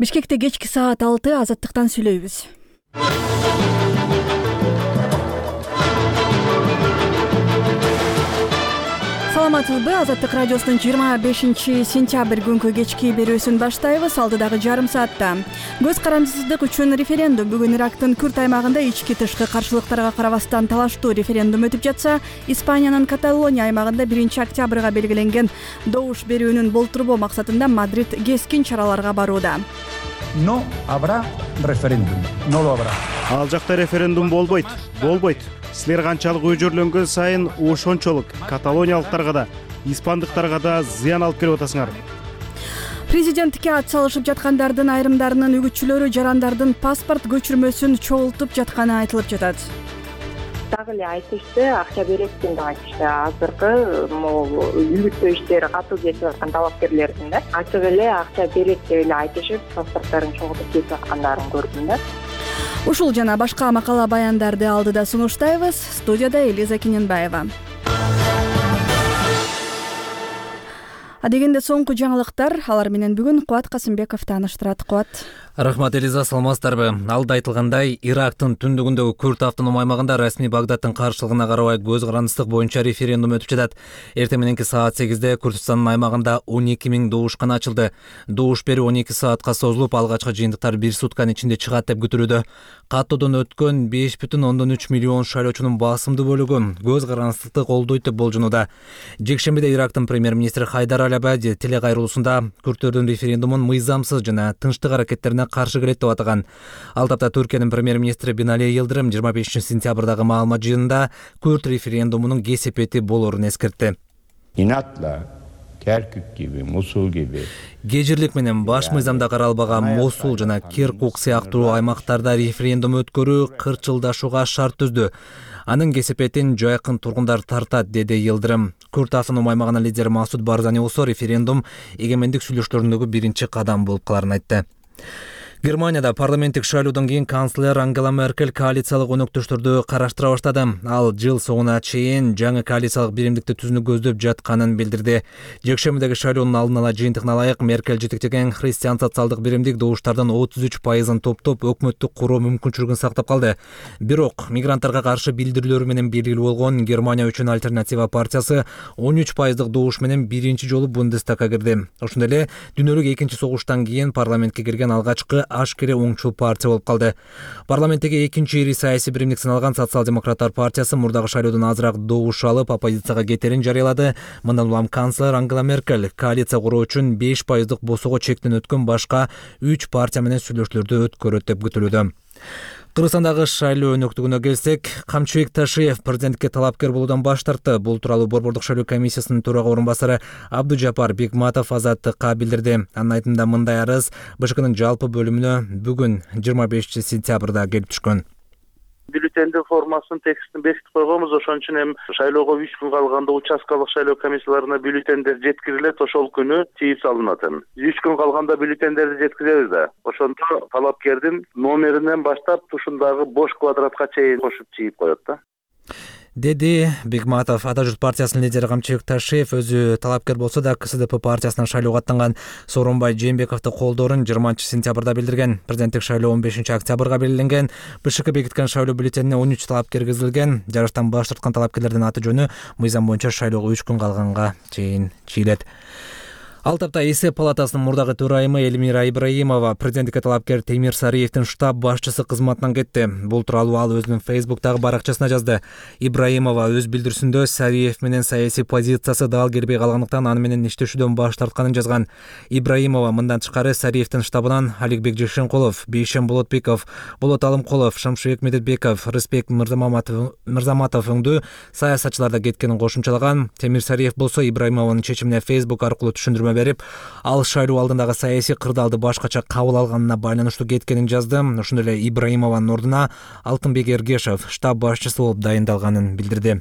Бишкекте кечки саат 6 Азаттыктан сүйлөйбүз. Саламатсызбы? Азаттык радиосунун 25-сентябрь күнкү кечки берүүсүн баштайбыз. Алдыдагы жарым саатта көз карандысыздык үчүн референдум. Бүгүн Ирактын Күрд аймагында ички тышкы каршылыктарга карабастан талаштуу референдум өтүп жатса, Испаниянын Каталония аймагында 1-октябрга белгиленген добуш берүүнүн болтурбоо максатында Мадрид кескин чараларга барууда. No habrá referéndum. No lo habrá. Ал жакта референдум болбойт. Силер канчалык өжөрлөнгөн сайын ошончолук каталониялыктарга да, испандыктарга да зыян алып келип атасыңар. Президенттикке ат салышып жаткандардын айрымдарынын үгүтчүлөрү жарандардын паспорт көчүрмөсүн чогултуп жатканы айтылып жатат. Дагы эле айтышты, акча бересиң деп айтышты. Азыркы үгүттөө иштери катуу кетип аткан талапкерлердин да ачык эле акча берет деп эле айтышып, паспорттарын чогултуп кетип аткандарын көрдүм да. Ушул жана башка макала баяндарды алдыда сунуштайбыз. Студияда Элиза Кененбаева. Адегенде соңку жаңылыктар, алар менен бүгүн Кубат Касымбеков тааныштырат. Кубат. Рахмат, Элиза, саламатсыздарбы? Алда айтылгандай, Ирактын түндүгүндөгү Күрд автоном аймагында расмий Багдадтын каршылыгына карабай көз карандысыздык боюнча референдум өтүп жатат. Эртең мененки саат 8-де Күрдстандын аймагында 12 000 добушкана ачылды. Добуш берүү 12 саатка созулуп, алгачкы жыйынтыктар 1 сутканын ичинде чыгат деп күтүлүүдө. Каттоодон өткөн 5,3 миллион шайлоочунун басымдуу бөлүгү көз карандысыздыкты колдойт деп болжонууда. Жекшембиде Ирактын премьер-министри Хайдар Аль-Абади телекайрылуусунда Күрдтөрдүн референдумун мыйзамсыз жана тынчтык аракеттерине каршы келет деп атаган. Ал тапта Түркиянын премьер-министри Бинали Йылдырым 25-сентябрдагы маалымат жыйынында Күрд референдумунун кесепети болоорун эскертти. İnatla Kerkük gibi, Musul gibi Гежирлик менен баш мыйзамда каралбаган Мосул жана Киркук сыяктуу аймактарда референдум өткөрүү кырчылдашууга шарт түздү. Анын кесепетин жайкын тургундар тартат, деди Йылдырым. Күрд автоном аймагынын лидери Масуд Барзани болсо референдум эгемендик сүйлөшүүлөрүндөгү биринчи кадам болуп каларын айтты. Германияда парламенттик шайлоодон кийин канцлер Ангела Меркель коалициялык өнөктөштөрдү караштыра баштады. Ал жыл соңуна чейин жаңы коалициялык биримдикти түзүүнү көздөп жатканын билдирди. Жекшембидеги шайлоонун алдын ала жыйынтыгына ылайык Меркель жетектеген христиан социалдык биримдик добуштардын 33%-ын топтоп өкмөттү куруу мүмкүнчүлүгүн сактап калды. Бирок мигранттарга каршы билдирүүлөрү менен белгилүү болгон Германия үчүн альтернатива партиясы 13%-дык добуш менен биринчи жолу Бундестагга кирди. Ошондой эле дүйнөлүк экинчи согуштан кийин парламентке кирген алгачкы ашкере оңчул партия болуп калды. Парламенттеги экинчи ири саясий биримдик саналган Социал-демократтар партиясы мурдагы шайлоодон азыраак добуш алып, оппозицияга кетерин жарыялады. Мындан улам канцлер Ангела Меркель коалиция куруу үчүн 5%-дык босоого чектен өткөн башка 3 партия менен сүйлөшүүлөрдү өткөрөт деп күтүлүүдө. Кыргызстандагы шайлоо өнөктүгүнө келсек, Камчыбек Ташиев президенттикке талапкер болуудан баш тартты. Бул тууралуу Борбордук шайлоо комиссиясынын төрага орун басары Абдужапар Бекматов Азаттыкка билдирди. Анын айтымында мындай арыз БШКнын жалпы бөлүмүнө бүгүн 25-сентябрда келип түшкөн. Бюллетендин формасынын текстин бекитип койгонбуз, ошон үчүн эми шайлоого 3 күн калганда участкалык шайлоо комиссияларына бюллетендер жеткирилет, ошол күнү тийип салынат. 3 күн калганда бюллетендерди жеткиребиз да. Ошондо талапкердин номеринен баштап тушундагы бош квадратка чейин кошуп чийип коет да, деди Бекматов. Ата журт партиясынын лидери Камчыбек Ташиев өзү талапкер болсо да КСДП партиясынан шайлоого аттанган Сооронбай Жээнбековду колдоорун 20-сентябрда билдирген. Президенттик шайлоо 15-октябрга белгиленген. БШК бекиткен шайлоо бюллетенине 13 талапкер киргизилген. Жарыштан баш тарткан талапкерлердин аты жөнү мыйзам боюнча шайлоого 3 күн калганга чейин чийилет. Ал тапта эсеп палатасынын мурдагы төрайымы Элмира Ибраимова президенттикке талапкер Темир Сариевдин штаб башчысы кызматынан кетти. Бул тууралуу ал өзүнүн Facebook-дагы баракчасына жазды. Ибраимова өз билдирүүсүндө Сариев менен саясий позициясы дал келбей калгандыктан аны менен иштешүүдөн баш тартканын жазган. Ибраимова мындан тышкары Сариевдин штабынан Аликбек Жекшенкулов, Бейшен Болотбеков, Болот Алымкулов, Шамшыбек Медетбеков, Рыспек Мырзаматов өңдүү саясатчыларда кеткенин кошумчалаган. Темир Сариев болсо Ибраимованын чечимине Facebook аркылуу түшүндүрмө берип, ал шайлоо алдындагы саясий кырдаалды башкача кабыл алганына байланыштуу кеткенин жазды. Ошондой эле Ибраимованын ордуна Алтынбек Эргешев штаб башчысы болуп дайындалганын билдирди.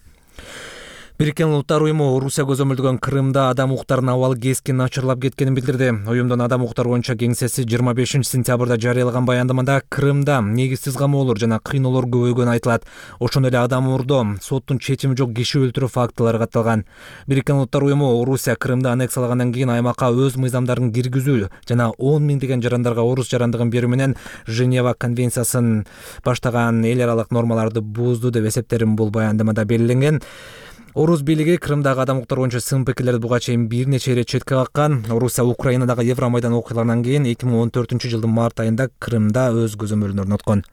Бириккен Улуттар уюму Орусия көзөмөлдөгөн Крымда адам укуктарынын абалы кескин начарлап кеткенин билдирди. Уюмдун адам укуктары боюнча кеңсеси 25-сентябрда жарыялаган баяндамада Крымда негизсиз камоолор жана кыйноолор көбөйгөнү айтылат. Ошондой эле адам уурдоо, соттун чечими жок киши өлтүрүү фактылары катталган. Бириккен Улуттар уюму Орусия Крымды аннексиялагандан кийин аймакка өз мыйзамдарын киргизүү жана 10 миңдеген жарандарга орус жарандыгын берүү менен Женева конвенциясын баштаган эл аралык нормаларды бузду деп эсептелген бул баяндамада белгиленген. Орус бийлиги Крымдагы адам укуктары боюнча сын пикирлерди буга чейин бир нече ирет четке каккан. Орусия Украинадагы Евромайдан окуяларынан кийин 2014-жылдын март айында Крымда өз көзөмөлүн орноткон.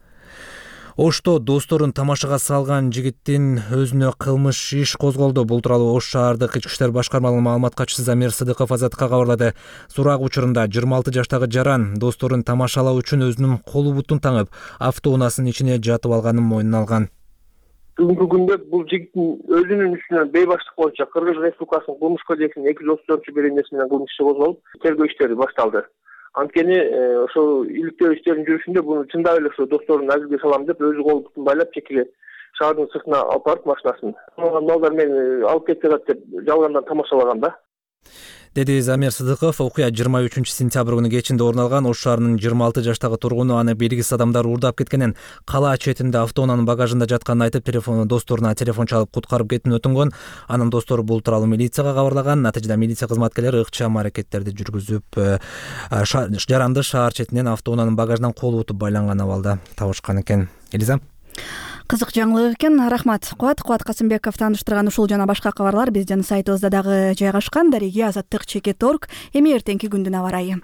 Ошто досторун тамашага салган жигиттин өзүнө кылмыш иш козголду. Бул тууралуу Ош шаардык ички иштер башкармалыгынын маалымат катчысы Замир Сыдыков Азаттыкка кабарлады. Сурак учурунда 26 жаштагы жаран досторун тамашалоо үчүн өзүнүн колу бутун таңып, автоунаасынын ичине жатып алганын мойнуна алган. Бүгүнкү күндө бул жигиттин өзүнүн үстүнөн бейбаштык боюнча Кыргыз Республикасынын кылмыш кодексинин 234-беренеси менен кылмыш иши козголуп, тергөө иштери башталды. Анткени ошол иликтөө иштеринин жүрүшүндө буну чындап эле ошо досторун азилге салам деп өзү кол бутун байлап чекеге шаардын сыртына алып барып машинасын малдар мени алып кетип атат деп жалгандан тамашалаган да. Деди Замир Сыдыков. Окуя 23-сентябрь күнү кечинде орун алган. Ош шаарынын 26 жаштагы тургуну аны белгисиз адамдар уурдап кеткенин, кала четинде автоунаанын багажында жатканын айтып, досторуна телефон чалып куткарып кетүүнү өтүнгөн. Анын достору бул тууралуу милицияга кабарлаган. Натыйжада милиция кызматкерлери ыкчам аракеттерди жүргүзүп, жаранды шаар четинен автоунаанын багажынан колу бутуп байланган абалда табышкан экен. Элиза. Кызык жаңылык экен. Рахмат. Кубат Касымбеков тааныштырган ушул жана башка кабарлар биздин сайтыбызда дагы жайгашкан. Дареги Азаттык @. Эми эртеңки күндүн аба ырайы.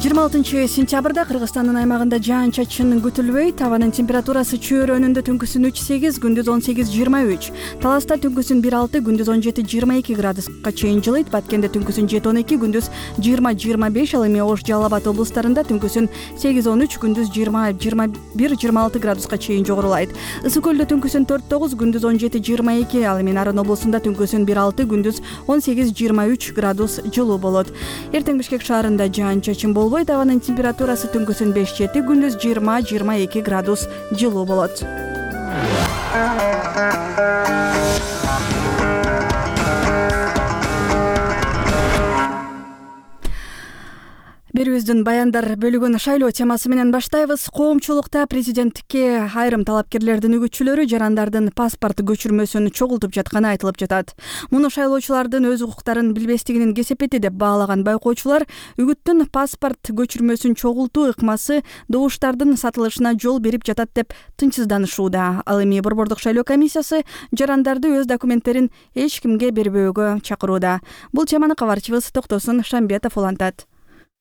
26-сентябрда Кыргызстандын аймагында жаан-чачын күтүлбөйт. Абанын температурасы чөйрөнүндө түнкүсүн 3-8, күндүз 18-23. Таласта түнкүсүн 1-6, күндүз 17-22 градуска чейин жылыйт. Баткенде түнкүсүн 7-12, күндүз 20-25. Ал эми Ош, Жалал Абад облустарында түнкүсүн 8-13, күндүз 20-21-26 градуска чейин жогорулайт. Ысык көлдө түнкүсүн 4-9, күндүз 17-22. Ал эми Нарын облусунда түнкүсүн 1-6, күндүз 18-23 градус жылуу болот. Эртең Бишкек шаарында жаан-чачын болбойт. Абанын температурасы түнкүсүн 5-7, күндүз 20-22 градус жылуу болот. Берүүбүздүн баяндар бөлүгүн шайлоо темасы менен баштайбыз. Коомчулукта президенттикке айрым талапкерлердин үгүтчүлөрү жарандардын паспорт көчүрмөсүн чогултуп жатканы айтылып жатат. Муну шайлоочулардын өз укуктарын билбестигинин кесепети деп баалаган байкоочулар үгүттүн паспорт көчүрмөсүн чогултуу ыкмасы добуштардын сатылышына жол берип жатат деп тынчсызданышууда. Ал эми Борбордук шайлоо комиссиясы жарандарды өз документтерин эч кимге бербөөгө чакырууда. Бул теманы кабарчыбыз Токтосун Шамбетов улантат.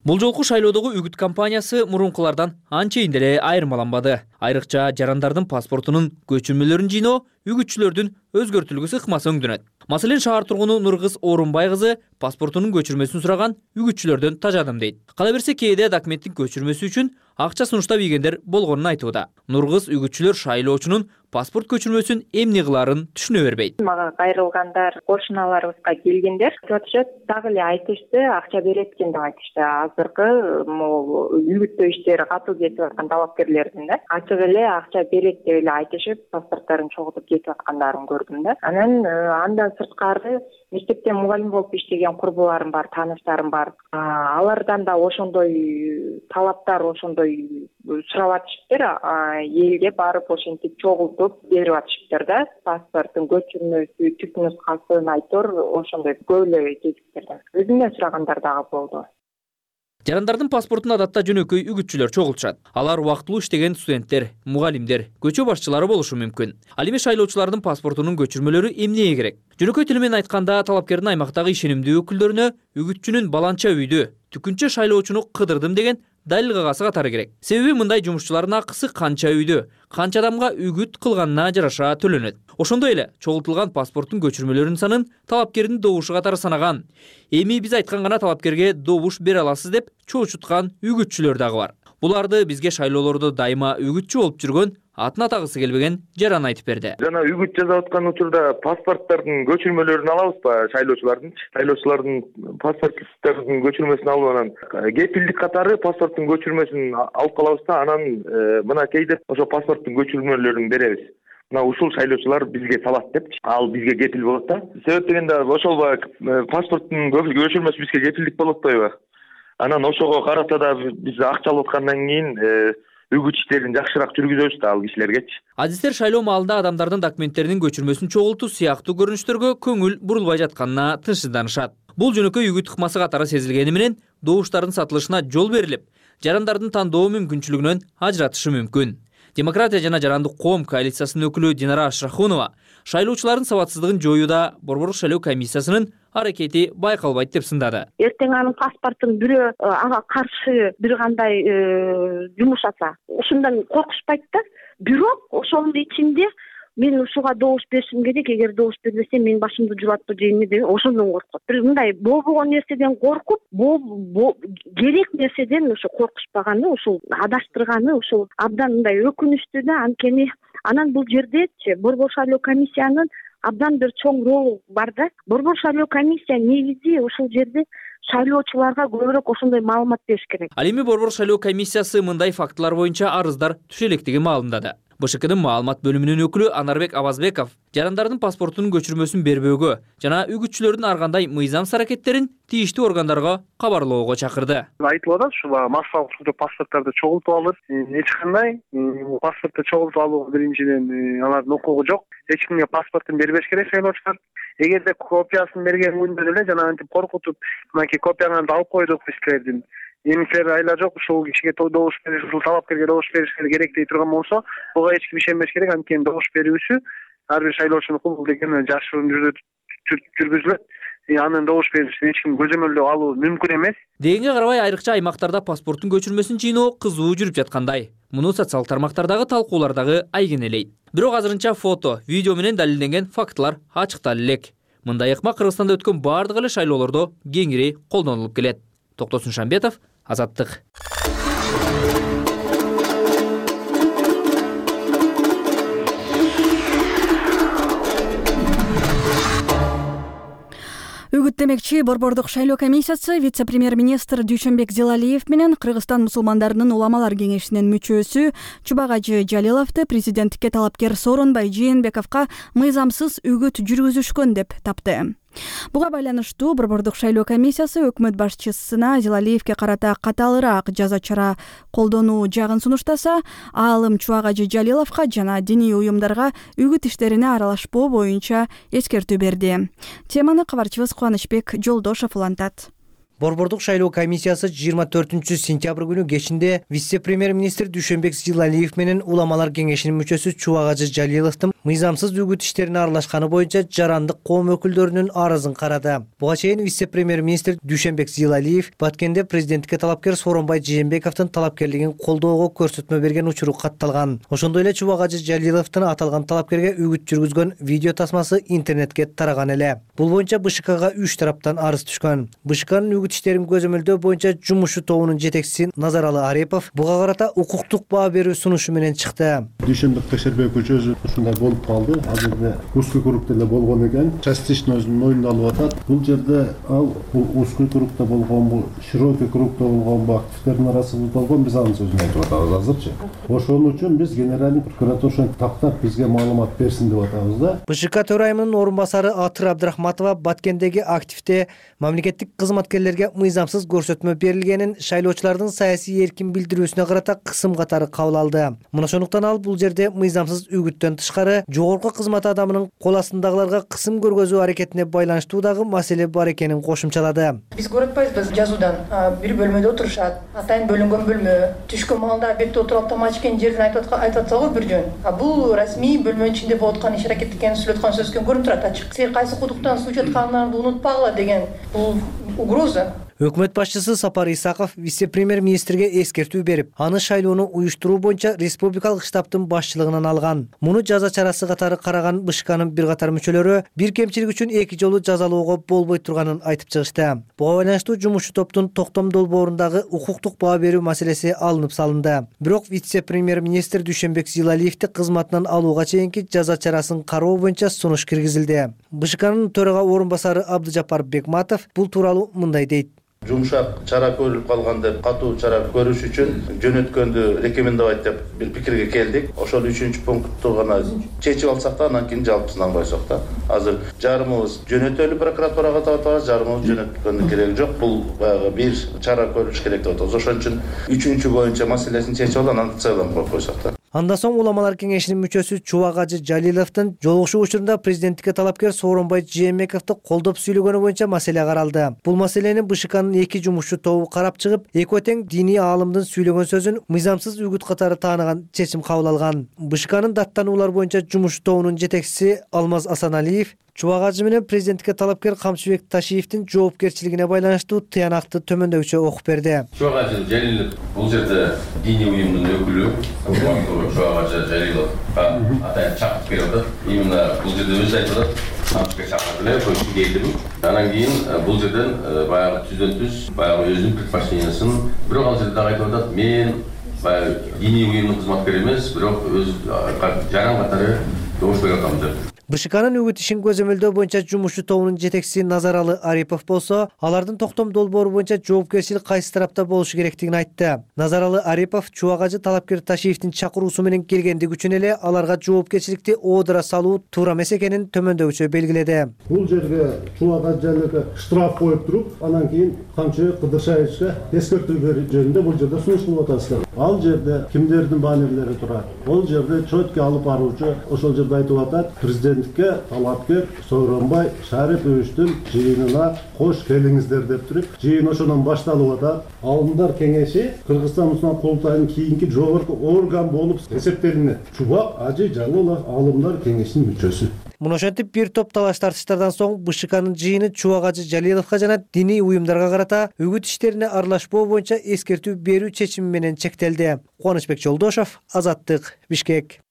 Бул жолку шайлоодогу үгүт кампаниясы мурункулардан анчейин деле айырмаланбады. Айрыкча жарандардын паспортунун көчүрмөлөрүн жыйноо үгүтчүлөрдүн өзгөртүлгүсү ыкмасы өңдөнөт. Маселен, шаар тургуну Нургыз Орунбай кызы паспортунун көчүрмөсүн сураган үгүтчүлөрдөн тажадым дейт. Кала берсе, кээде документтин көчүрмөсү үчүн акча сунуштап ийгендер болгонун айтууда. Нургыз үгүтчүлөр шайлоочунун паспорт көчүрмөсүн эмне кылаарын түшүнө бербейт. Мага кайрылгандар, кошуналарыбызга келгендер айтышат, дагы эле айтышты, акча берет экен деп айтышты. Азыркы могу үгүттөө иштери катуу кетип аткан талапкерлердин да ачык эле акча берет деп эле айтышып, паспорттарын чогултуп кетип аткандарын көрдүм да. Андан сырткары мектепте мугалим болуп иштеген курбуларым бар, тааныштарым бар. Алардан да ошондой талаптар, ошондой сурап атышыптыр. Элге барып ошентип чогултуп берип атышыптыр да. Паспорттун көчүрмөсү, түп нускасын айтор, ошондой көп эле кезиктерден. Өзүмдөн сурагандар дагы болду. Жарандардын паспортун адатта жөнөкөй үгүтчүлөр чогултушат. Алар убактылуу иштеген студенттер, мугалимдер, көчө башчылары болушу мүмкүн. Ал эми шайлоочулардын паспортунун көчүрмөлөрү эмнеге керек? Жөнөкөй тил менен айтканда, талапкердин аймактагы ишенимдүү өкүлдөрүнө үгүтчүнүн баланча үйдү, түкүнчө шайлоочуну кыдырдым деген далил кагасы катары керек. Себеби мындай жумушчулардын акысы канча үйдү, канча адамга үгүт кылганына жараша төлөнөт. Ошондой эле чогултулган паспорттун көчүрмөлөрүнүн санын талапкердин добушу катары санаган. Эми биз айткан гана талапкерге добуш бере аласыз деп чоочуткан үгүтчүлөр дагы бар. Буларды бизге шайлоолордо дайыма үгүтчү болуп жүргөн, атын атагысы келбеген Жаран айтып берди. Жана үгүт жасап аткан учурда паспорттардын көчүрмөлөрүн алабызбы шайлоочулардын паспорттардын көчүрмөсүн алып анан кепилдик катары паспорттун көчүрмөсүн алып калабыз да анан мынакей деп ошо паспорттун көчүрмөлөрүн беребиз. Мына ушул шайлоочулар бизге салат деп ал бизге кепил болот да. Себеп дегенде ошол паспорттун көчүрмөсү бизге кепилдик болуп атпайбы? Анан ошого карата да биз акча алып аткандан кийин үгүт иштерин жакшыраак жүргүзөбүз да ал кишилергечи. Адистер шайлоо маалында адамдардын документтеринин көчүрмөсүн чогултуу сыяктуу көрүнүштөргө көңүл бурулбай жатканына тынчсызданышат. Бул жөнөкөй үгүт ыкмасы катары сезилгени менен добуштардын сатылышына жол берилип, жарандардын тандоо мүмкүнчүлүгүнөн ажыратышы мүмкүн. Демократия жана жарандык коом коалициясынын өкүлү Динара Ашрахунова шайлоочулардын сабатсыздыгын жоюуда Борбордук шайлоо комиссиясынын аракети байкалбайт деп сындады. Эртең анын паспортун бирөө ага каршы бир кандай жумушаса, ушундан коркушпайт да. Бирок ошонун ичинде мен ушуга добуш беришим керек, эгер добуш бербесем мен башымды жулатпы дейинби деп ошондон коркот. Бир мындай болбогон нерседен коркуп, керек нерседен ошо коркушпаганы, ушул адаштырганы ушул абдан мындай өкүнүчтүү да. Анткени анан бул жердечи Борбор шайлоо комиссиянын абдан бир чоң ролу бар да. Борбор шайлоо комиссия негизи ушул жерде шайлоочуларга көбүрөөк ошондой маалымат бериш керек. Ал эми Борбор шайлоо комиссиясы мындай фактылар боюнча арыздар түшө электигин маалымдады. БШКдын маалымат бөлүмүнүн өкүлү Анарбек Абазбеков жарандардын паспортунун көчүрмөсүн бербөөгө жана үгүтчүлөрдүн ар кандай мыйзамсыз аракеттерин тийиштүү органдарга кабарлоого чакырды. Айтылып атат, ушул массалык түрдө паспорттарды чогултуп алып, эч кандай паспортты чогултуп алуу биринчиден алардын укугу жок. Эч кимге паспортун бербеш керек шайлоочулар. Эгерде копиясын берген күндө деле жана антип коркутуп, мынакей копияңарды алып койдук биз силердин. Эмисилер айла жок, ушул кишиге добуш бериш, ушул талапкерге добуш бериш керек дей турган болсо, буга эч ким ишенбеш керек. Анткени добуш берүүсү ар бир шайлоочунун укугу деген жашыруун жүргүзүлөт. Анын добуш беришин эч ким көзөмөлдөп алуу мүмкүн эмес. Дегенге карабай айрыкча аймактарда паспорттун көчүрмөсүн жыйноо кызуу жүрүп жаткандай. Муну социалдык тармактардагы талкуулардагы айгинелейт. Бирок азырынча фото, видео менен далилденген фактылар ачыкталып элек. Мындай ыкма Кыргызстанда өткөн бардык эле шайлоолордо кеңири колдонулуп келет. Токтосун Шамбетов, Азаттык. Үгүт демекчи Борбордук шайлоо комиссиясы вице-премьер-министр Дүйшөнбек Зилалиев менен Кыргызстан мусулмандарынын уламалар кеңешинин мүчөсү Чубагажы Жалиловду президенттикке талапкер Сооронбай Жээнбековго мыйзамсыз үгүт жүргүзүшкөн деп тапты. Буга байланыштуу Борбордук шайлоо комиссиясы өкмөт башчысына Зилалиевге карата катаалыраак жаза чара колдонуу жагын сунуштаса, аалым Чубагажы Жалиловго жана диний уюмдарга үгүт иштерине аралашпоо боюнча эскертүү берди. Теманы кабарчыбыз Кубанычбек Жолдошов улантат. Борбордук шайлоо комиссиясы 24-сентябрь күнү кечинде вице-премьер-министр Дүйшөнбек Зилалиев менен уламалар кеңешинин мүчөсү Чубагажы Жалиловдун мыйзамсыз үгүт иштерине аралашканы боюнча жарандык коом өкүлдөрүнүн арызын карады. Буга чейин вице-премьер-министр Дүйшөнбек Зилалиев Баткенде президенттикке талапкер Сооронбай Жээнбековдун талапкерлигин колдоого көрсөтмө берген учуру катталган. Ошондой эле Чубагажы Жалиловдун аталган талапкерге үгүт жүргүзгөн видео тасмасы интернетке тараган эле. Бул боюнча БШКга 3 тараптан арыз түшкөн. БШКнын үгүт иштерин көзөмөлдөө боюнча жумушу тобунун жетекчиси Назаралы Арипов буга карата укуктук баа берүү сунушу менен чыкты. Дүйшөнбек Текшербекович өзү ушундай болуп калды. Азырда узкий кругда эле болгон экен. Частично өзүнүн мойнуна алып атат. Бул жерде ал узкий кругда болгонбу, широкий кругда болгонбу активдердин арасында болгон биз анын сөзүн айтып атабыз азырчы. Ошон үчүн биз генеральный прокуратура ошентип тактап бизге маалымат берсин деп атабыз да. БШК төрайымынын орун басары Атыр Абдрахматова Баткендеги активде мамлекеттик кызматкерлерге мыйзамсыз көрсөтмө берилгенин, шайлоочулардын саясий эркин билдирүүсүнө карата кысым катары кабыл алды. Мына ошондуктан ал бул жерде мыйзамсыз үгүттөн тышкары жогорку кызмат адамынын кол астындагыларга кысым көргөзүү аракетине байланыштуу дагы маселе бар экенин кошумчалады. Биз көрүп атпайбыз жазуудан бир бөлмөдө отурушат, атайын бөлүнгөн бөлмө, түшкөн маалда бетте отуруп тамак ичкен жерин айтып атса го бир жөн. Бул расмий бөлмөнүн ичинде болуп аткан иш аракет экенин сүйлөп аткан сөзгө көрүнүп турат ачык. Силер кайсы кудуктан суу чатканыңарды унутпагыла деген бул угроза. Өкмөт башчысы Сапар Исаков вице-премьер министрге эскертүү берип, аны шайлоону уюштуруу боюнча республикалык штабтын башчылыгынан алган. Муну жаза чарасы катары караган БШКнын бир катар мүчөлөрү бир кемчилик үчүн 2 жолу жазалоого болбой турганын айтып чыгышты. Буга байланыштуу жумушчу топтун токтом долбоорундагы укуктук баа берүү маселеси алынып салынды. Бирок вице-премьер министр Дүйшөнбек Зилалиевди кызматынан алууга чейинки жаза чарасын кароо боюнча сунуш киргизилди. БШКнын төрага орун басары Абдыжапар Бекматов бул тууралуу мындай дейт. Жумшак чара көрүлүп калган деп, катуу чара көрүш үчүн жөнөткөндү рекомендовать деп бир пикирге келдик. Ошол 3-пунктту гана чечип алсак да, анан кийин жалпысын албайсак да. Азыр жарымыбыз жөнөтөлү прокуратурага тартабыз, жарымыбыз жөнөткөндүн кереги жок. Бул баягы бир чара көрүш керек деп атабыз. Ошон үчүн 3 боюнча маселесин чечип алып, анан целом коюп койсок да. Андан соң уламалар кеңешинин мүчөсү Чубак Ажы Жалиловдун жолугушуу учурунда президенттикке талапкер Сооронбай Жээнбековду колдоп сүйлөгөнү боюнча маселе каралды. Бул маселени БШКнын 2 жумушчу тобу карап чыгып, экөө тең диний аалымдын сүйлөгөн сөзүн мыйзамсыз үгүт катары тааныган чечим кабыл алган. БШКнын даттануулар боюнча жумушчу тобунун жетекчиси Алмаз Асаналиев Чубак Ажы менен президенттикке талапкер Камчыбек Ташиевдин жоопкерчилигине байланыштуу тыянакты төмөндөгүчө окуп берди. Чубак Ажы Жалилов бул жерде диний уюмдун өкүлү, Чубак Ажы Жалиловга атайын чакырып берип атат. Именно бул жерде өзү айтып атат, Камчыбек чакырды, көчүп келдим. Анан кийин бул жерден баягы түздөн түз, баягы өзүнүн предпочтениясын, бирок ал жерде дагы айтып атат, мен баягы диний уюмдун кызматкери эмес, бирок өз жаран катары добуш берип атам деп. БШКнын үгүт ишин көзөмөлдөө боюнча жумушчу тобунун жетекчиси Назаралы Арипов болсо, алардын токтом долбоору боюнча жоопкерчилик кайсы тарапта болушу керектигин айтты. Назаралы Арипов Чубак Ажы талапкер Ташиевдин чакыруусу менен келгендиги үчүн эле аларга жоопкерчиликти оодура салуу туура эмес экенин төмөндөгүчө белгиледи. Бул жерге Чубак Ажыга штраф коюп туруп, анан кийин Камчыбек Кыдыршаевичке эскертүү берүү жөнүндө бул жерде сунуш кылып атасыздар. Ал жерде кимдердин баннерлери турат? Ол жерде чөткө алып баруучу ошол жерде айтып атат, президентке талапкер Сооронбай Шариповичтин жыйынына кош келиңиздер деп туруп, жыйын ошондон башталып атат. Алымдар кеңеши Кыргызстан Мусулман курултайынын кийинки жогорку орган болуп эсептелинет. Чубак Ажы Жалилов алымдар кеңешинин мүчөсү. Муну ошентип бир топ талаш тартыштардан соң БШКнын жыйыны Чубак Ажы Жалиловго жана диний уюмдарга карата үгүт иштерине аралашпоо боюнча эскертүү берүү чечими менен чектелди. Кубанычбек Жолдошов, Азаттык, Бишкек.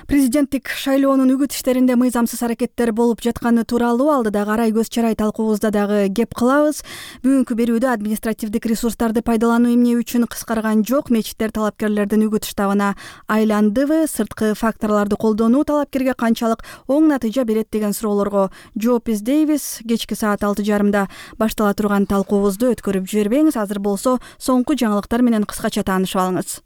Президенттик шайлоонун үгүт иштеринде мыйзамсыз аракеттер болуп жатканы тууралуу алдыдагы арай көз чарай талкуубузда дагы кеп кылабыз. Бүгүнкү берүүдө административдик ресурстарды пайдалануу эмне үчүн кыскарган жок, мечиттер талапкерлердин үгүт штабына айландыбы, сырткы факторлорду колдонуу талапкерге канчалык оң натыйжа берет деген суроолорго жооп издейбиз. Кечки саат 6:30 баштала турган талкуубузду өткөрүп жибербеңиз. Азыр болсо соңку жаңылыктар менен кыскача таанышып алыңыз.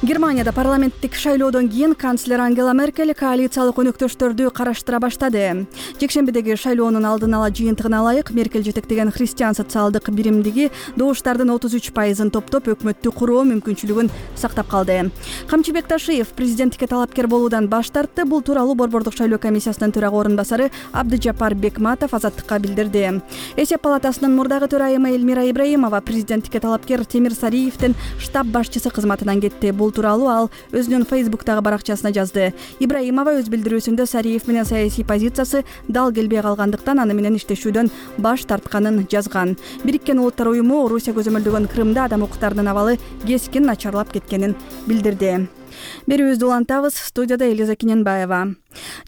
Германияда парламенттик шайлоодон кийин канцлер Ангела Меркель коалициялык өнөктөштөрдү караштыра баштады. Жекшембидеги шайлоонун алдын ала жыйынтыгына ылайык Меркель жетектеген христиан социалдык биримдиги добуштардын 33%-ын топтоп өкмөттү куруу мүмкүнчүлүгүн сактап калды. Камчыбек Ташиев президенттикке талапкер болуудан баш тартты. Бул тууралуу Борбордук шайлоо комиссиясынын төрага орун басары Абдыжапар Бекматов Азаттыкка билдирди. Эсеп палатасынын мурдагы төрайымы Элмира Ибраимова президенттикке талапкер Темир Сариевдин штаб башчысы кызматынан кетти. Бул тууралуу ал өзүнүн Фейсбуктагы баракчасына жазды. Ибраимова өз билдирүүсүндө Сариев менен саясий позициясы дал келбей калгандыктан аны менен иштешүүдөн баш тартканын жазган. Бириккен Улуттар уюму Орусия көзөмөлдөгөн Крымда адам укуктарынын абалы кескин начарлап кеткенин билдирди. Берүүбүздү улантабыз. Студияда Элиза Кененбаева.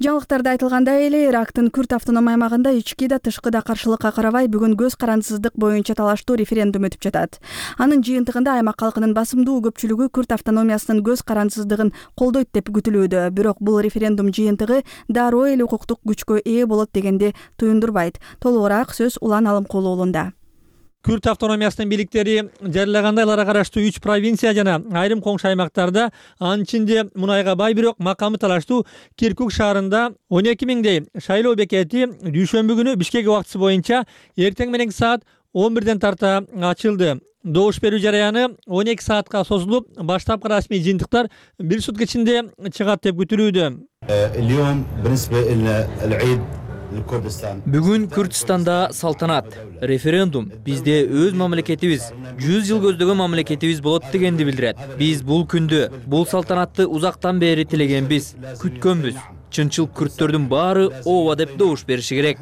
Жаңылыктарда айтылгандай эле Ирактын Күрд автоном аймагында ички да тышкы да каршылыкка карабай бүгүн көз карандысыздык боюнча талаштуу референдум өтүп жатат. Анын жыйынтыгында аймак калкынын басымдуу көпчүлүгү Күрд автономиясынын көз карандысыздыгын колдойт деп күтүлүүдө. Бирок бул референдум жыйынтыгы дароо эле укуктук күчкө ээ болот дегенди туюндурбайт. Толугураак сөз Улан Алымкулу уулунда. Күрд автономиясынын бийликтери жарыягандай аларга караштуу 3 провинция жана айрым коңшу аймактарда, анын ичинде мунайга бай бирок макамы талаштуу Киркук шаарында 12 миңдей шайлоо бекети дүйшөмбү күнү Бишкек убактысы боюнча эртең мененки саат 11ден тарта ачылды. Добуш берүү жараяны 12 саатка созулуп, баштапкы расмий жыйынтыктар 1 сутка ичинде чыгат деп күтүлүүдө. اليوم بالنسبة لنا العيد Бүгүн Күрдистанда салтанат, референдум бизде өз мамлекетибиз, 100 жыл көздөгөн мамлекетибиз болот дегенди билдирет. Биз бул күндү, бул салтанатты узактан бери тилегенбиз, күткөнбүз. Чынчыл күрттөрдүн баары ооба деп добуш бериши керек.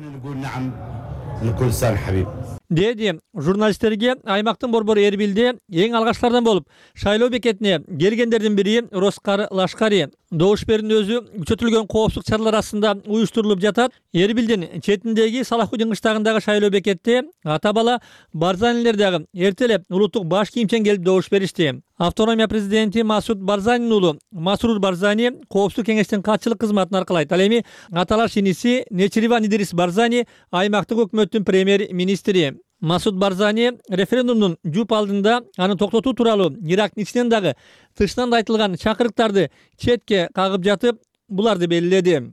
Деди журналисттерге аймактын борбору Эрбилде эң алгачкылардан болуп шайлоо бекетине келгендердин бири Роскар Лашкари. Добуш берүүнүн өзү күчөтүлгөн коопсуздук чаралар астында уюштурулуп жатат. Эрбилдин четиндеги Салахудин кыштагындагы шайлоо бекетте ата бала Барзанилер дагы эртелеп улуттук баш кийимчен келип добуш беришти. Автономия президенти Масуд Барзанинин уулу Масрур Барзани коопсуздук кеңештин катчылык кызматын аркалайт. Ал эми аталаш иниси Нечириван Идрис Барзани аймактык өкмөттүн премьер-министри. Масуд Барзани референдумдун жуп алдында аны токтотуу тууралуу Ирактын ичинен дагы тышынан да айтылган чакырыктарды четке кагып жатып, буларды белгиледи.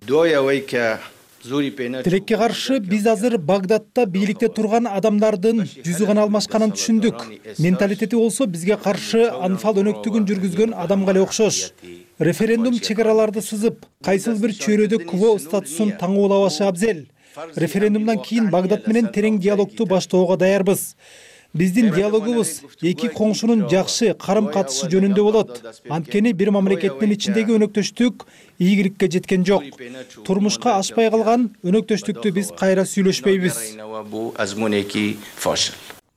Тилекке каршы биз азыр Багдадта бийликте турган адамдардын жүзү гана алмашканын түшүндүк. Менталитети болсо бизге каршы анфал өнөктүгүн жүргүзгөн адамга эле окшош. Референдум чек араларды сызып, кайсыл бир чөйрөдө кво статусун таңуулабашы абзел. Референдумдан кийин Багдад менен терең диалогду баштоого даярбыз. Биздин диалогубуз эки коңшунун жакшы карым-катышы жөнүндө болот. Анткени бир мамлекеттин ичиндеги өнөктөштүк ийгиликке жеткен жок. Турмушка ашпай калган өнөктөштүктү биз кайра сүйлөшпөйбүз.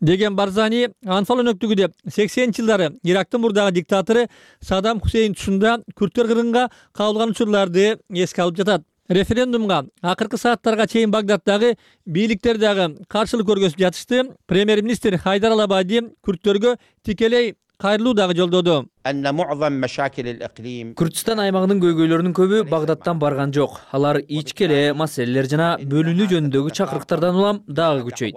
Деген Барзани анфал өнөктүгү деп 80-жылдары Ирактын мурдагы диктатору Саддам Хусейн тушунда күрттөр кыргынга кабылган учурларды эске алып жатат. Референдумга акыркы сааттарга чейин Багдаддагы бийликтер дагы каршылык көргөзүп жатышты. Премьер-министр Хайдар Алабади күрттөргө тикелей кайрылуу дагы жолдоду. Күрдистан аймагынын көйгөйлөрүнүн көбү Багдадтан барган жок. Алар ички эле маселелер жана бөлүнүү жөнүндөгү чакырыктардан улам дагы күчөйт.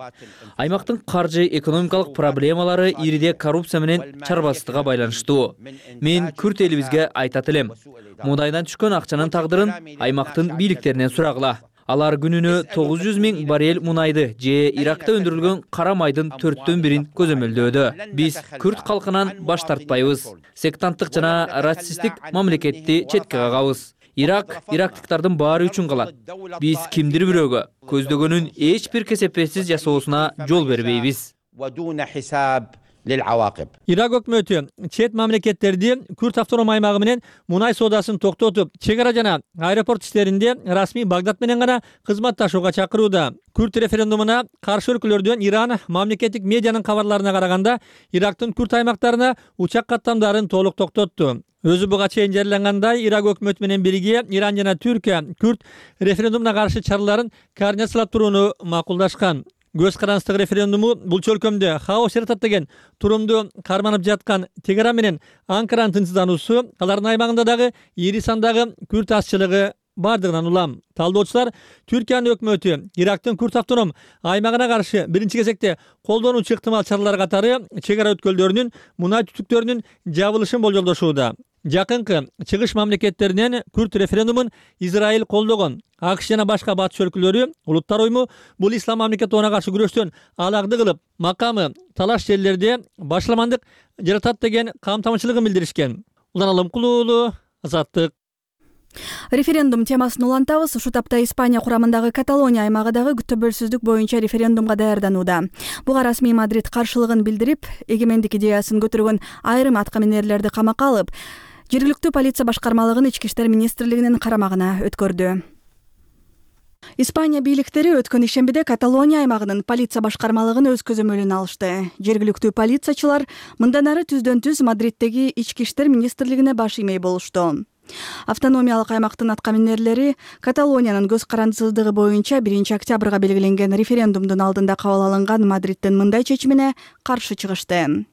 Аймактын каржы экономикалык проблемалары ириде коррупция менен чарбаздыкка байланыштуу. Мен күрт элибизге айтат элем. Мудайдан түшкөн акчанын тагдырын аймактын бийликтеринен сурагыла. Алар күнүнө 900 000 баррель мунайды же Иракта өндүрүлгөн кара майдын 4/1 көзөмөлдөөдө. Биз күрт калкынан баш тартпайбыз. Сектанттык жана расисттик мамлекетти четке кагабыз. Ирактыктардын баары үчүн калат. Биз кимдир бирөөгө көздөгөнүн эч бир кесепетсиз жасоосуна жол бербейбиз. Ирак өкмөтү чет мамлекеттерди Күрт автоном аймагы менен мунай соодасын токтотуп, чек ара жана аэропорт иштеринде расмий Багдад менен гана кызматташууга чакырууда. Күрт референдумуна каршы өлкөлөрдөн Иран мамлекеттик медианын кабарларына караганда Ирактын Күрт аймактарына учак каттамдарын толук токтотту. Өзү буга чейин жарыялангандай, Ирак өкмөтү менен бирге Иран жана Түркия Күрт референдумуна каршы чараларын координациялап турууну макулдашкан. Көз карандысыздык референдуму бул чөлкөмдө хаос жаратат деген турумду карманып жаткан Тегеран менен Анкаранын тынчсыздануусу алардын аймагында дагы ири сандагы күрт азчылыгы бардыгынан улам. Талдоочулар Түркиянын өкмөтү Ирактын Күрт автоном аймагына каршы биринчи кезекте колдонуучу ыктымал чаралар катары чек ара өткөлдөрүнүн мунай түтүктөрүнүн жабылышын болжолдошууда. Жакынкы чыгыш мамлекеттеринен Күрт референдумун Израиль колдогон. АКШ жана башка батыш өлкөлөрү улуттар уюму бул ислам мамлекетине каршы күрөштөн алакты кылып, макамы талаш жерлерде башламандык жаратат деген камтамачылыгын билдиришкен. Улан Алымкулуу уулу, Азаттык. Референдум темасын улантабыз. Ушул тапта Испания курамындагы Каталония аймагыдагы төбөлсүздүк боюнча референдумга даярданууда. Буга расмий Мадрид каршылыгын билдирип, эгемендик идеясын көтөргөн айрым аткаминерлерди камакка алып, жергиликтүү полиция башкармалыгын Ички иштер министрлигинин карамагына өткөрдү. Испания бийликтери өткөн ишембиде Каталония аймагынын полиция башкармалыгын өз көзөмөлүнө алышты. Жергиликтүү полициячылар мындан ары түздөн-түз Мадриттеги Ички иштер министрлигине баш иймей болушту. Автономиялык аймактын аткаминерлери Каталониянын көз карандысыздыгы боюнча 1 октябрга белгиленген референдумдун алдында кабыл алынган Мадридтин мындай чечимине каршы чыгышты.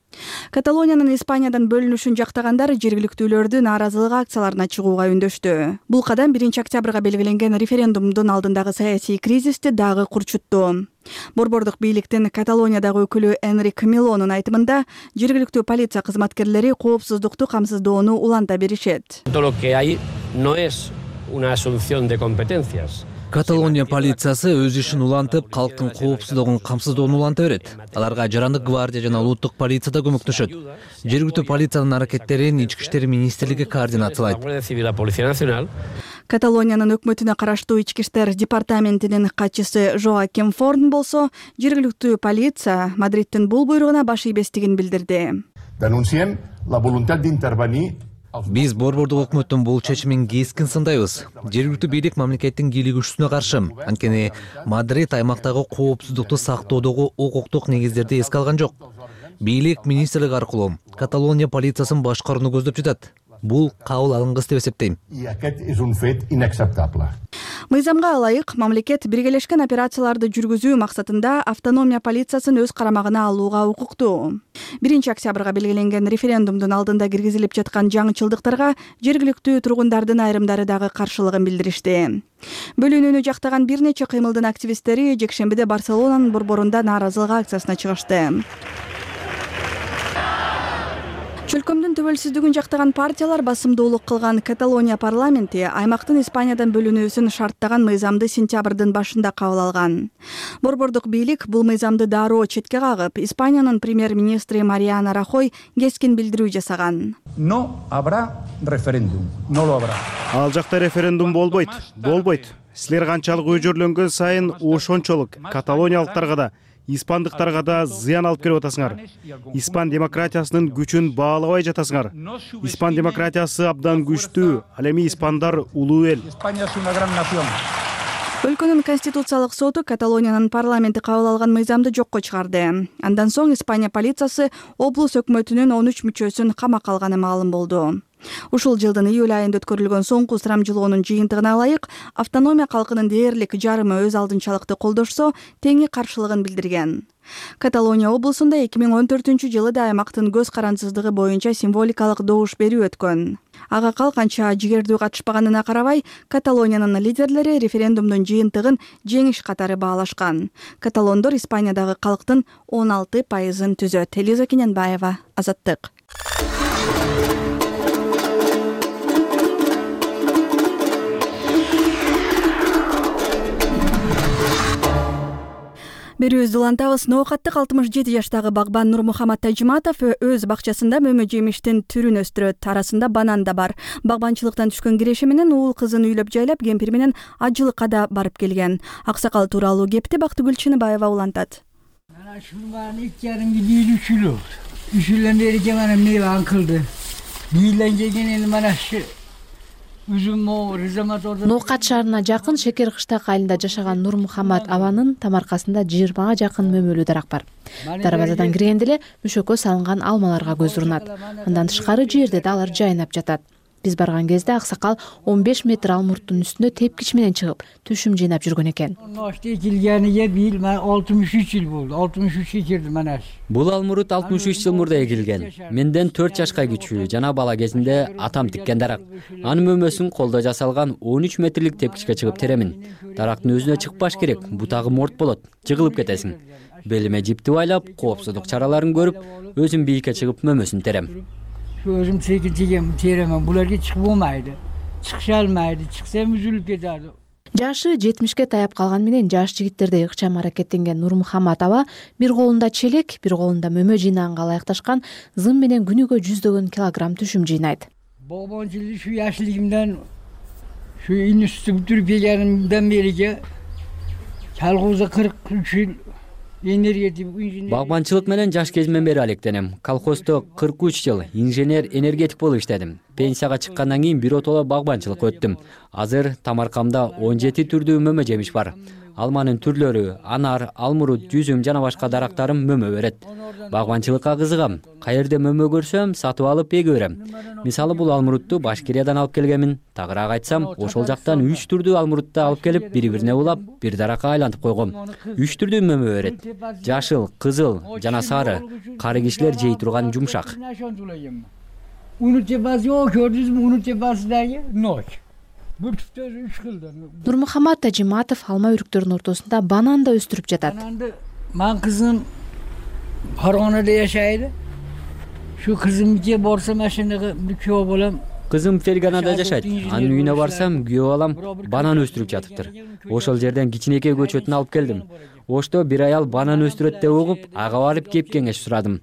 Каталониянын Испаниядан бөлүнүшүн жактагандар жергиликтүүлөрдүн нааразылык акцияларына чыгууга үндөштү. Бул кадам 1 октябрга белгиленген референдумдун алдындагы саясий кризисти дагы курчутту. Борбордук бийликтин Каталониядагы өкүлү Энрик Милонун айтымында, жергиликтүү полиция кызматкерлери коопсуздукту камсыздоону уланта беришет. Каталония полициясы өз ишин улантып, калктын коопсуздугун камсыздоону уланта берет. Аларга жарандык гвардия жана улуттук полиция да көмөктөшөт. Жергиликтүү полициянын аракеттерин Ички иштер министрлиги координациялайт. Каталониянын өкмөтүнө караштуу ички иштер департаментинин катчысы Жоаким Форн болсо жергиликтүү полиция Мадридтин бул буйругуна баш ийбестигин билдирди. Denunciem la voluntat d'intervenir. Биз борбордук өкмөттүн бул чечимин кескин сындайбыз. Жергиликтүү бийлик мамлекеттин кийлигүүчүсүнө каршы. Анткени Мадрид аймактагы коопсуздукту сактоодогу укуктук негиздерди эске алган жок. Бийлик министрлик аркылуу Каталония полициясын башкарууну көздөп жатат. Бул кабыл алынгыс деп эсептейм. Мыйзамга ылайык мамлекет биргелешкен операцияларды жүргүзүү максатында автономия полициясын өз карамагына алууга укуктуу. 1-октябрга белгиленген референдумдун алдында киргизилип жаткан жаңычылдыктарга жергиликтүү тургундардын айрымдары дагы каршылыгын билдиришти. Бөлүнүүнү жактаган бир нече кыймылдын активисттери жекшембиде Барселонанын борборунда нааразылык акциясына чыгышты. Чөлкөмдүн төбөлсүздүгүн жактаган партиялар басымдуулук кылган Каталония парламенти аймактын Испаниядан бөлүнүүсүн шарттаган мыйзамды сентябрдын башында кабыл алган. Борбордук бийлик бул мыйзамды дароо четке кагып, Испаниянын премьер-министри Мариано Рахой кескин билдирүү жасаган. No habrá referéndum. No lo habrá. Ал жакта референдум болбойт. Силер канчалык өжөрлөнгөн сайын ошончолук каталониялыктарга да испандыктарга да зыян алып келип атасыңар. Испан демократиясынын күчүн баалабай жатасыңар. Испан демократиясы абдан күчтүү. Ал эми испандар улуу эл. Өлкөнүн конституциялык соту Каталониянын парламенти кабыл алган мыйзамды жокко чыгарды. Андан соң Испания полициясы облус өкмөтүнүн 13 мүчөсүн камакка алганы маалым болду. Ушул жылдын июль айында өткөрүлгөн соңку сурамжылоонун жыйынтыгына ылайык, автономия калкынын дээрлик жарымы өз алдынчалыкты колдошсо, теңи каршылыгын билдирген. Каталония облусунда 2014-жылы да аймактын көз карансыздыгы боюнча символикалык добуш берүү өткөн. Ага калканча жигердүү катышпаганына карабай, Каталониянын лидерлери референдумдун жыйынтыгын жеңиш катары баалашкан. Каталондор Испаниядагы калктын 16% түзөт. Элиза Кененбаева, Азаттык. Берүүбүздү улантабыз. Ноокаттык 67 жаштагы багбан Нурмухамат Тажиматов өз бакчасында мөмө жемиштин түрүн өстүрөт. Арасында банан да бар. Багбанчылыктан түшкөн киреши менен уул кызын үйлөп жайлап, кемпир менен ажылыкка да барып келген. Аксакал тууралуу кепти Бактыгүл Чыныбаева улантат. Ana şurmanın ilk yarın gidiyor üçülü. Üçülen vereceğim ana meyve ankıldı. Giyilen gelen bana şu Ноокат шаарына жакын Шекер кыштак айылында жашаган Нурмухамат абанын тамаркасында 20га жакын мөмөлүү дарак бар. Дарбазадан киргенде эле мүшөккө салынган алмаларга көз урунат. Андан тышкары жерде да алар жайнап жатат. Биз барган кезде аксакал 15 метр алмурттун үстүнө тепкич менен чыгып, түшүм жыйнап жүргөн экен. Ekilgeniye 63 yıl oldu. 63'e girdim ana. Бул алмурут 63 жыл мурда эгилген. Менден 4 жашка кичүү жана бала кезинде атам тиккен дарак. Анын мөмөсүн колдо жасалган 13 метрлик тепкичке чыгып теремин. Дарактын өзүнө чыкпаш керек, бутагы морт болот, жыгылып кетесиң. Белиме жипти байлап, коопсуздук чараларын көрүп, өзүм бийикке чыгып мөмөсүн терем. Şu özüm çekeceğim, teremem. Bularga çıkıp olmaydı. Çıkışalmaydı. Çıksam üzülüp giderdi. Жашы 70ке таяп калган менен жаш жигиттердей ыкчам аракеттенген Нурмухамат аба бир колунда челек, бир колунда мөмө жыйнаганга ылайыкташкан зым менен күнүгө 100 килограмм түшүм жыйнайт. Bağbancılığı şu yaşlılığımdan, şu üniversite bitirip gelganımdan beriga kolxozda 43 yıl Багбанчылык менен жаш кезимден бери алектенем. Колхоздо 43 жыл инженер энергетик болуп иштедим. Пенсияга чыккандан кийин биротоло багбанчылыкка өттүм. Азыр тамаркамда 17 түрдүү мөмө жемиш бар. Алманын түрлөрү, анар, алмурут, жүзүм жана башка дарактарым мөмө берет. Багбанчылыкка кызыгам. Каерде мөмө көрсөм, сатып алып эге берем. Мисалы бул алмурутту Башкириядан алып келгенмин. Тагыраак айтсам, ошол жактан 3 түрдүү алмурутты алып келип, бири-бирине улап, бир даракка айлантып койгом. 3 түрдүү мөмө берет. Жашыл, кызыл жана сары. Кары кишилер жей турган жумшак. Unut cebası yok, gördünüz mü unut cebası dayı? Nok. Нурмухамат Тажиматов алма үрүктөрүнүн ортосунда банан да өстүрүп жатат. Мен кызым Фаргонада жашайды. Şu kızımca borsa машинага күйөө болом. Кызым Ферганада жашайт. Анын үйүнө барсам, күйөө алам, банан өстүрүп жатыптыр. Ошол жерден кичинекей көчөтүн алып келдим. Ошто бир аял банан өстүрөт деп угуп, ага барып кеп кеңеш сурадым.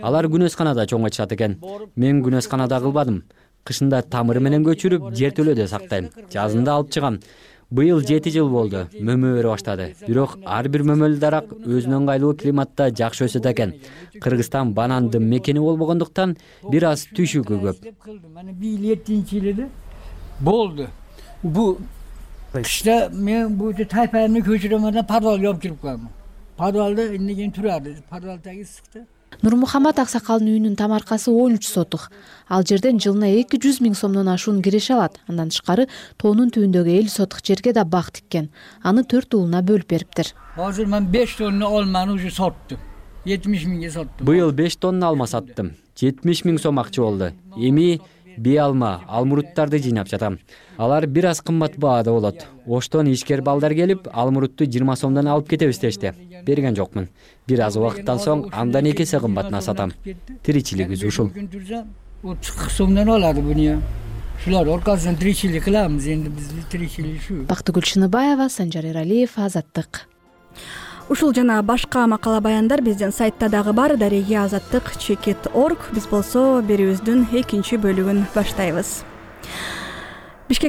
Алар күнөсканада чоңойтушат экен. Мен күнөсканада кылбадым. кышында тамыры менен көчүрүп жертөлөдө сактайм, жазында алып чыгам. Быйыл 7 жыл болду, мөмө бере баштады. Бирок ар бир мөмөлүү дарак өзүнө ыңгайлуу климатта жакшы өсөт экен. Кыргызстан банандын мекени болбогондуктан бир аз түшүгү көп. Мана быйыл 7-жылы болду. Бу кышта мен бу тайпаны көчүрөмөн, подвал жөмчүрүп калдым. Подвалда эмнеген турады? Подвалдагы ысыкты. Нурмухамат аксакалдын үйүнүн тамаркасы 13 сотук. Ал жерден жылына 200 000 сомдон ашуун киреше алат. Андан тышкары тоонун түбүндөгү 50 сотук жерге да бак тиккен. Аны 4 уулуна бөлүп бериптир. Азыр мен 5 тонна алманы уже саттым. 70 000ге саттым. Быйыл 5 тонна алма саттым. 70 000 сом акча болду. Эми бей алма, алмуруттарды жыйнап жатам. Алар бир аз кымбат баада болот. Оштон ишкер балдар келип, алмурутты 20 сомдон алып кетебиз дешти. Берген жокмун. Бир аз убакыттан соң андан 2 эсе кымбатына сатам. Тиричилигибиз ушул. 30 сомдон алады буну. Шулар оркасынан тиричилик кыламыз, энди биз тиричилик ушу. Бактыгүл Шыныбаева, Санжар Эралиев, Азаттык. Ушул жана башка макала баяндар биздин сайтта дагы бар. Дареги Азаттык.org. Биз болсо берүүбүздүн экинчи бөлүгүн баштайбыз. Бишкек